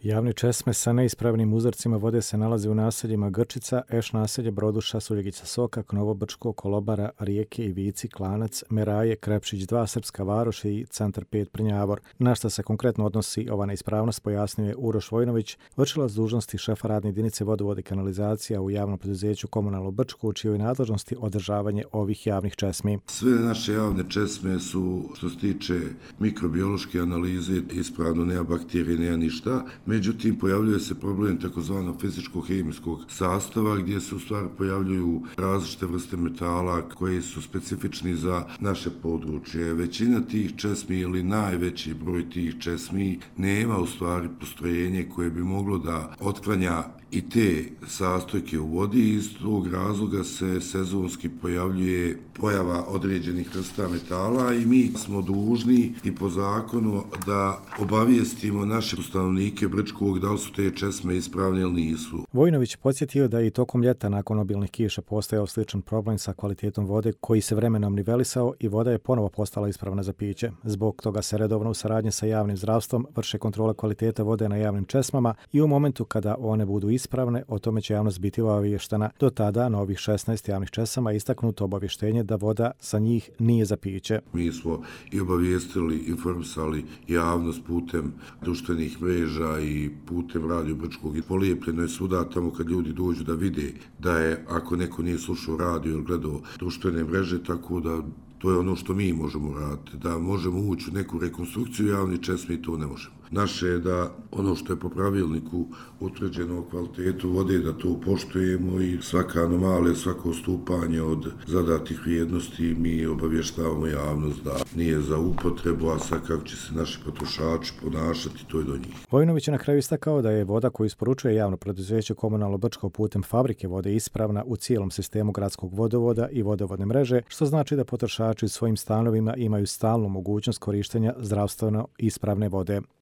Javne česme sa neispravnim uzorcima vode se nalaze u naseljima Grčica, Eš naselje, Broduša, Suljegica Sokak, Novobrčko, Kolobara, Rijeke, Ivici, Klanac, Meraje, Krepšić 2, Srpska Varoš i Centar 5 Prnjavor. Na šta se konkretno odnosi ova neispravnost, pojasnio je Uroš Vojnović, vršilac dužnosti šefa radne jedinice vodovode i kanalizacija u javnom preduzeću Komunalno Brčko, u čijoj nadležnosti održavanje ovih javnih česmi. Sve naše javne česme su, što se tiče mikrobiološke analize, ispravno, nema bakterije, nema ništa. Međutim, pojavljuje se problem takozvanog fizičko-hemijskog sastava gdje se u stvari pojavljuju različite vrste metala koji su specifični za naše područje. Većina tih česmi ili najveći broj tih česmi nema u stvari postrojenje koje bi moglo da otklanja i te sastojke u vodi. Iz tog razloga se sezonski pojavljuje pojava određenih vrsta metala i mi smo dužni i po zakonu da obavijestimo naše stanovnike Brčkog da li su te česme ispravne ili nisu. Vojnović podsjetio da i tokom ljeta nakon obilnih kiša postojao sličan problem sa kvalitetom vode koji se vremenom nivelisao i voda je ponovo postala ispravna za piće. Zbog toga se redovno u saradnji sa javnim zdravstvom vrše kontrola kvalitete vode na javnim česmama i u momentu kada one budu ispravne, o tome će javnost biti obavještena. Do tada na ovih 16 javnih česama istaknuto obavještenje da voda sa njih nije za piće. Mi smo i obavijestili, informisali javnost putem društvenih mreža i putem Radio Brčkog i polijepljeno je svuda tamo kad ljudi dođu da vide da je, ako neko nije slušao radio ili gledao društvene mreže, tako da to je ono što mi možemo raditi, da možemo ući u neku rekonstrukciju javnih česmi, to ne možemo. Naše je da ono što je po pravilniku utvrđeno o kvalitetu vode, da to poštujemo i svaka anomalija, svako odstupanje od zadatih vrijednosti mi obavještavamo javnost da nije za upotrebu, a sad kako će se naši potrošači ponašati, to je do njih. Vojnović je na kraju istakao da je voda koju isporučuje javno preduzeće Komunalno Brčko putem fabrike vode ispravna u cijelom sistemu gradskog vodovoda i vodovodne mreže, što znači da potrošači u svojim stanovima imaju stalnu mogućnost korištenja zdravstveno ispravne vode.